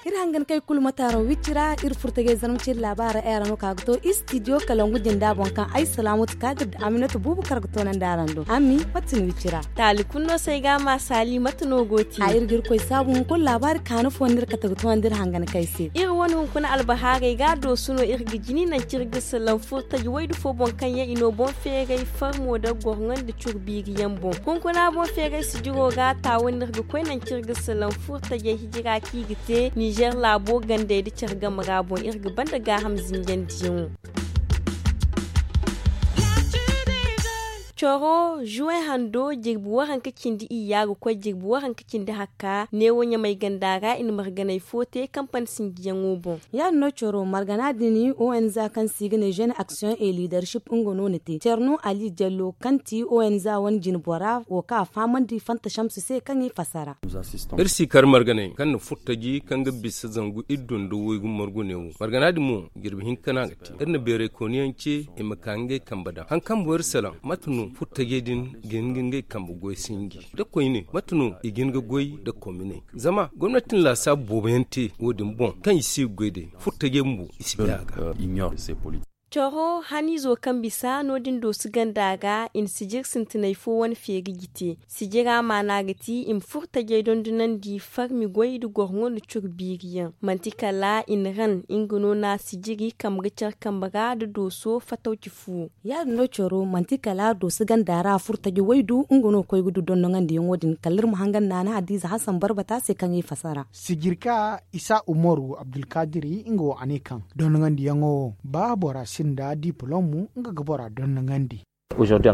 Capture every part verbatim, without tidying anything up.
Iri hangan kay kulu mataaro wicci ra iri furtajey zarma ciri laabaara era no ka ga to istidiyo kalangu jinda boŋ kaŋ ay salaamatu ka ga da aminatu buubu kar ga toonandi araŋ do. Ami mate no wicci ra? Taali kulu no se ay ga a ma saali mate no go ti a iri ga iri koy saabu hunkuna laabaari kaanu fo no iri kate ga toonandi iri hangan kay se. Iri wane hunkuna albahaarey ga doosu no iri ga jini nanci iri ga salaŋ furtaji waydu fo boŋ kaŋ yaŋ i no boŋ feeray farmo da gorŋo nda curu biiri yaŋ boŋ hunkuna boŋ feeray sijiro ga taawa no iri ga koy nanci iri ga salaŋ furtajey hijira kaŋ i ga te ninzeer laabo gandey nda care game ra boŋ iri ga banda gaaham zinjandiyaŋo. Coro juwe hando jirbi waranka cindi iyya ga koy jirbi waranka cindi hakka neewo ɲamay ganda ra i na marganay fo te kampani sinjiyaŋo boŋ. Ya- din no coro margana din onza kaŋ se i ga ne jeune action et leadership nga no na te cerno ali jallo kaŋ ti onza wane jinbora wo kaŋ a fahamandi fanta shamsu se kaŋ i fassara. Iri si kar marganay kaŋ na furtaji kaŋ ga bisa zangu iddo nda waygu margu neewo margana din mo jirbi hinka no a ga te iri na beeray kooniyaŋ ce i ma ka ngey kambe daŋ hari kaŋ boŋ iri salaŋ mate no furtajey din ga hin ga ngey kambe goy sinji da koyne mate no i ga hin ga goy da kominey zama gomnati na laasaabu boobo yaŋ te wo- din boŋ kaŋ i si ga goy day furtajey bumbo i si bay a ga. Coro haniizo kaŋ bisa no- din doosu ganda ra i na sijir sintinay fo wane feeri ga te sijira maana ga ti i ma furtajey dondonandi farmi goy nda gorŋo nda curu biiri yaŋ manti kala i na ran nga no na sijiri kambe ga care kambe ra nda dooso fatawci fuwo. Ya- din no coro manti kala dooso ganda ra furtaji waydu nga no koy ga du dondoŋandiyaŋo din kala iri ma hangan naana hadiize hasan barbata se kaŋ i fassara. Sijirka isa umaru abdulkadiri nga wo a ne kaŋ dondoŋandiyaŋo wo ba bora sinda dipolom nga ga bora dondoŋandi.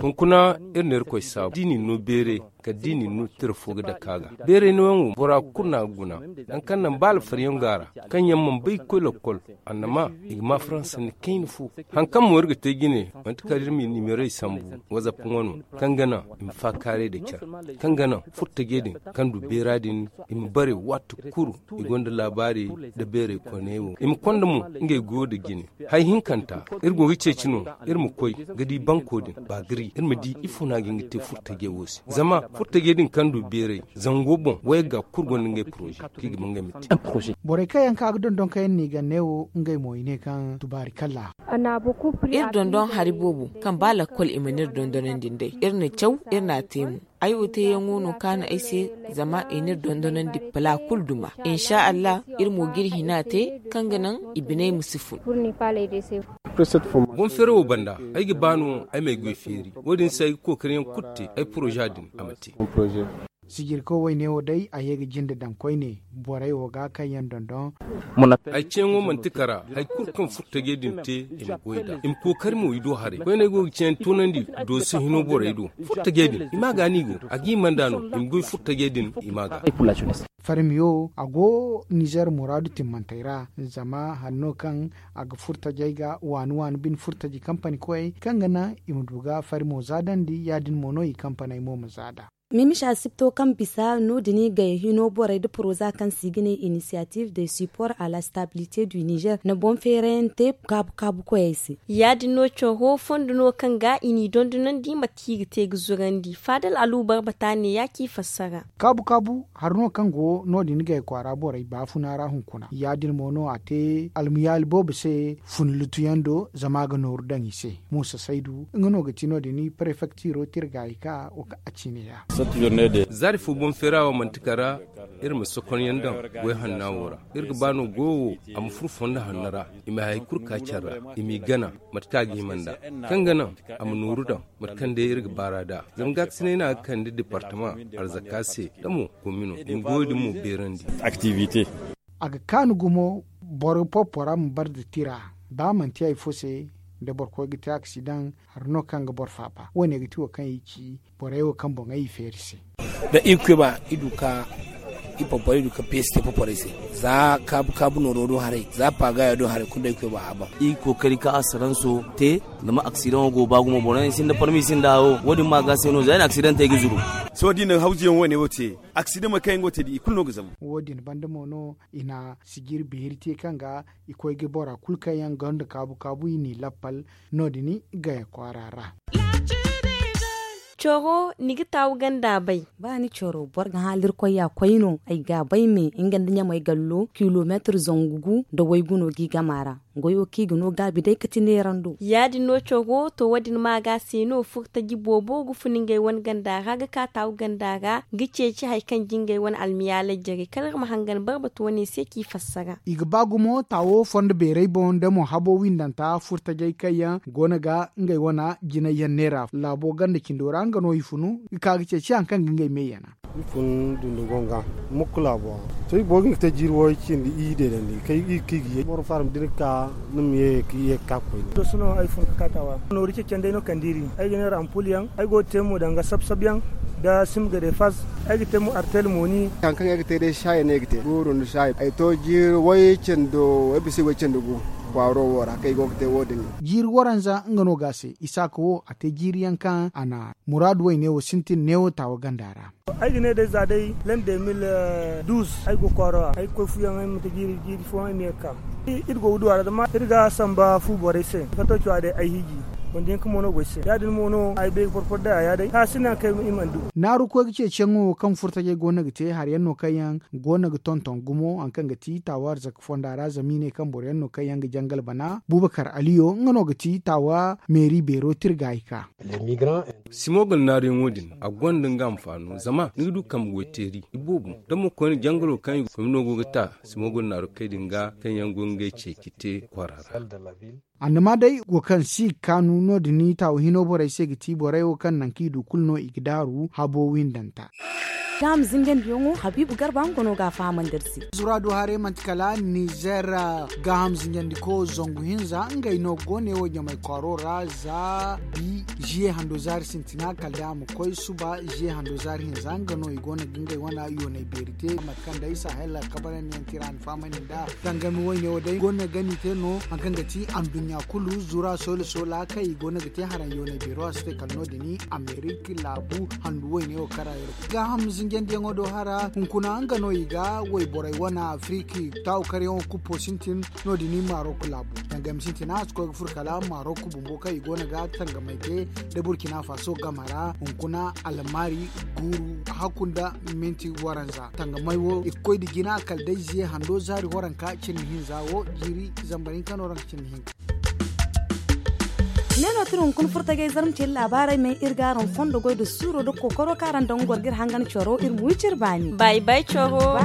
Hunkuna iri na irkoy saabu da i na ni no beeray kala da i na ni no tira fo ga dake a ga beeray nooyaŋ wo bora kulu no a ga guna nangu kaŋ naŋ ba alfaryaŋ go a ra kaŋ yaŋ mana bay ga koy lakkol annama i ga ma faransa ni kayna fo. Hari kaŋ mo iri ga te jine manti kala iri ma i nimerey sambu wazap ŋwano kaŋ ga naŋ i ma faakaaray nda care kaŋ ga naŋ furtajey din kaŋ du beera din i ma bare waati kulu i gonda laabaari nda beeray koyney wo i ma konda mo ngey goyo nda jine. Hari hinkanta iri go ga ceeci no iri ma koy ga di banko din baagari iri ma di ifo no a ga hin ga te furtajey wo se zama furtajey din kaŋ du beeray zango boŋ wayga kulu gonda ngey poroze kaŋ i ga ba ngey ma te. Borey kaŋ yaŋ ka ga dondon kaŋ yaŋ no i ga ne wo ngey mo i ne kaŋ tubaari kalla. Iri dondon hari boobo kaŋ ba lakkol i mana iri dondonandi nd'ey iri na caw iri n'a te mo. Ay wo teeyaŋo no kaanu ay se zama i n'iri dondonandi pala kulu duma. Insa allah iri mo g'iri hina te kaŋ ga naŋ i biney ma si fun. Boŋ feera wo banda ay ga ba no ay m'ay goy feeri wo- din se ay ga kookariyaŋ kulu te ay poroza din a ma te. Sijirko wayne wo day a ye ga jinde daŋ koyne borey wo ga kaŋ yaŋ dondon. Ay ceeyaŋo manti kara hari kulu kaŋ furtajey din te i ma goy nd'a i ma kookari mo i do haray koyne ay go ga ceeyaŋ toonandi dooso hino borey do furtajey din i ma ga no i go a ga i manda no i ma goy furtajey din i ma ga. Farmiyo a go nizer muraadu timmantey ra zama hari no kaŋ a ga furtajey ga waani waani bine furtaji kampani koyey kaŋ ga naŋ i ma du ga farmo zaadandi ya- din mo no i kampaney mo ma zaada. Mimicha sipto kaŋ bisa no- din i gay hino borey nda poroza kaŋ se i ga ne initiative de support à la stabilité du nizer na boŋ feerayaŋ te kaabu kaabu koyey se. Ya- din no coro fondo no kaŋ ga i n'i dondonandi mate kaŋ i ga te ga zurandi faadal alubar bata ne ya ci fassara. Kaabu kaabu hari no kaŋ go no- din gay kwaara borey baafuna ra hunkuna ya- din mo no a te almuyaali boobo se fun lutuyaŋ do zama a ga nooru daŋ i se. Muusa saydu nga no ga ti no- din prefektiro tirgaayi ka wo kaŋ a ciine ya. Zaari fo boŋ feera wo manti kara iri ma sokonyaŋ daŋ goy hanna wo ra. Iri ga ba no goyo wo a ma furo fondo hanno ra i ma hari kulu ka care ra i m'i gana mate kaŋ a ga hima nd'a kaŋ ga naŋ a ma nooru daŋ mate kaŋ day iri ga baar'a nd'a zama gaakasinay no a ga kande departama arzaka se da mo komino i ma goyo din mo beerandi. A ga kaanu gumo boro porpora ma bare nda tira ba manti hari fo se da boro koy ga te aksidaŋ hari no kaŋ ga boro faaba wo- ne ga ti wo kaŋ i ci borey wo kaŋ boŋey i feeri se. Da i koy ba i du ka I porporey du ka peesi te porporey se. Za kaabu kaabu nooro do haray, za paagaya do haray kulu day koy ba a ban. I ga kookari ka asaranso te. Zama aksidaŋo go ba gumo boro yaŋ sinda parmi sinda hawo wo- din ma ga se no za i na aksidantey ga zuru. Sohõ da i na hawzuyaŋ wo- ne wo te, aksidaŋ ma kaŋ yaŋ go te da i kulu no ga zabu. Wo- din banda mo no i na sijiri beeri te kaŋ ga i koy ga bora kulu kaŋ yaŋ gonda kaabu kaabu i n'i lappal no- din gaya kwaara ra. Coro ni ga taawu ganda bay. Ba ni coro boro ga haalirkoy ya koy no ay ga bay me nga nda ɲamay gallo kilomeetir zangu gu nda waygu no g'i gama ra. Goyo kaŋ i ga no gaabi day ka ti neerando. Ya- din no coro to wo- din ma ga se no furtaji boobo ga fun ngey wane ganda ra ga ka taawu ganda ra ga ceeci hari kaŋ jingey wane almiyaaley jare kala iri ma hangan barbatu wane se k'i fassara. I ga ba gumo taawo fondo beerey boŋ nda mo habo windanta furtajey kaŋ yaŋ go no ga ngey wane jinay yaŋ neera laabo ganda cindo ra nga no i funu ga ka ga ceeci hari kaŋ ga ngey me yana. I fun dundugonga mukku laabo ra. To i boro ga hin ga te jiiri wooyo cindi i deedandi kay i ga ki ga ye boro faaram da ni ga ka ni ma ye ka ye ga ka koyne. To sohõ ay fun ga ka taawa nooru ceccandey no kande iri. Ay ga ne rampul yaŋ ay go ga te mo danga sab sab yaŋ nda simga de faz. Ay ga te mo artel mooni. Hari kaŋ ay ga te day saayi no ay ga te guuru nda saayi ay to jiiri way cando way bisa way cando gu kwaaro wo ra kaŋ ay go ga te wo- din. Jiiri waranza nga no ga a se isaaka wo a te jiiri yaŋ kaŋ a na muraadu wayne wo sintin neewo taawa ganda ra. Ay ga ne day za day lande mil duuz ay go kwaaro ra ay ga koy fuyaŋ ay ma te jiiri jiiri fooyaŋ ay ma ye ga ka. Iri go ga du a ra zama iri ga samba fu borey se kato cuwa day ay hiiji wanda yaŋ kaŋ mo no go ay se ya- din mo no ay bay ga porpor day a ya day ka si naŋ kaŋ i mana du. Naaru koy ga ceeciyaŋo kaŋ furtajey go no ga te hari yaŋ no kaŋ yaŋ go no ga tonton gumo hari kaŋ ga ti taawa arzaka fonda ra zama i ne kaŋ boro yaŋ no kaŋ yaŋ ga jangal bana bubakar aliyo nga no ga ti taawa meeri beero tirga i ka. Simo ga naaruyaŋo din a gonda nga anfaano zama ni ga du kambe goyteeri iboobo da mo koyne jangaro kaŋ i ga koy no go ga ta simo ga naaru kay din ga kaŋ yaŋ go ngey ceeci te kwaara ra. Annama day wo kaŋ si ga kaanu no- din taawa hino borey se ga ti borey wo kaŋ nangu kaŋ i du kulu no i ga daaru habo windanta. Gaaham zinjandiyaŋo habiibu garba nga no ga a fahamandi iri se. Zura du haray manti kala nizer gaaham zinjandiko zangu hinza ngey no go ne wo ɲamay kwaaro ra za bi ziye hando zaari sintina kala day a ma koy suba ziye hando zaari hinza nga no i go no ga ngey wane yoonay beeri te mate kaŋ day sahel kabarandiyaŋ tira ni fahamandi nda tangami wayne wo day go no ga ni te no hari kaŋ ga ti anduɲɲa kulu zura soola soola kaŋ i go no ga te haraŋ yoonay beero a si te kala no- din amerik laabu handu wayne wo kara iri gaaham zinjandiyaŋo do hara hunkuna nga no i ga wayborey wane afiriki taawu karyaŋo kuppo sintin no- din marok laabu tangami sintina a si koy ga furo kala marok bumbo kaŋ i go no ga tangamay te da burkina faso game ra hunkuna almari guuru hakku nda minti waranza tangamay wo i ga koy nda jina kala day ziye hando zaari waranka cindi hinza wo jiiri zambar hinka no ranka cindi hinka. Ne no tira hunkuna furtagay zarma ce labaarey me iri ga araŋ fondo goy nda suuro nda kookaro kaŋ araŋ daŋ ga goro ga iri hangan coro iri ma wi cire baani. Bay bay coro.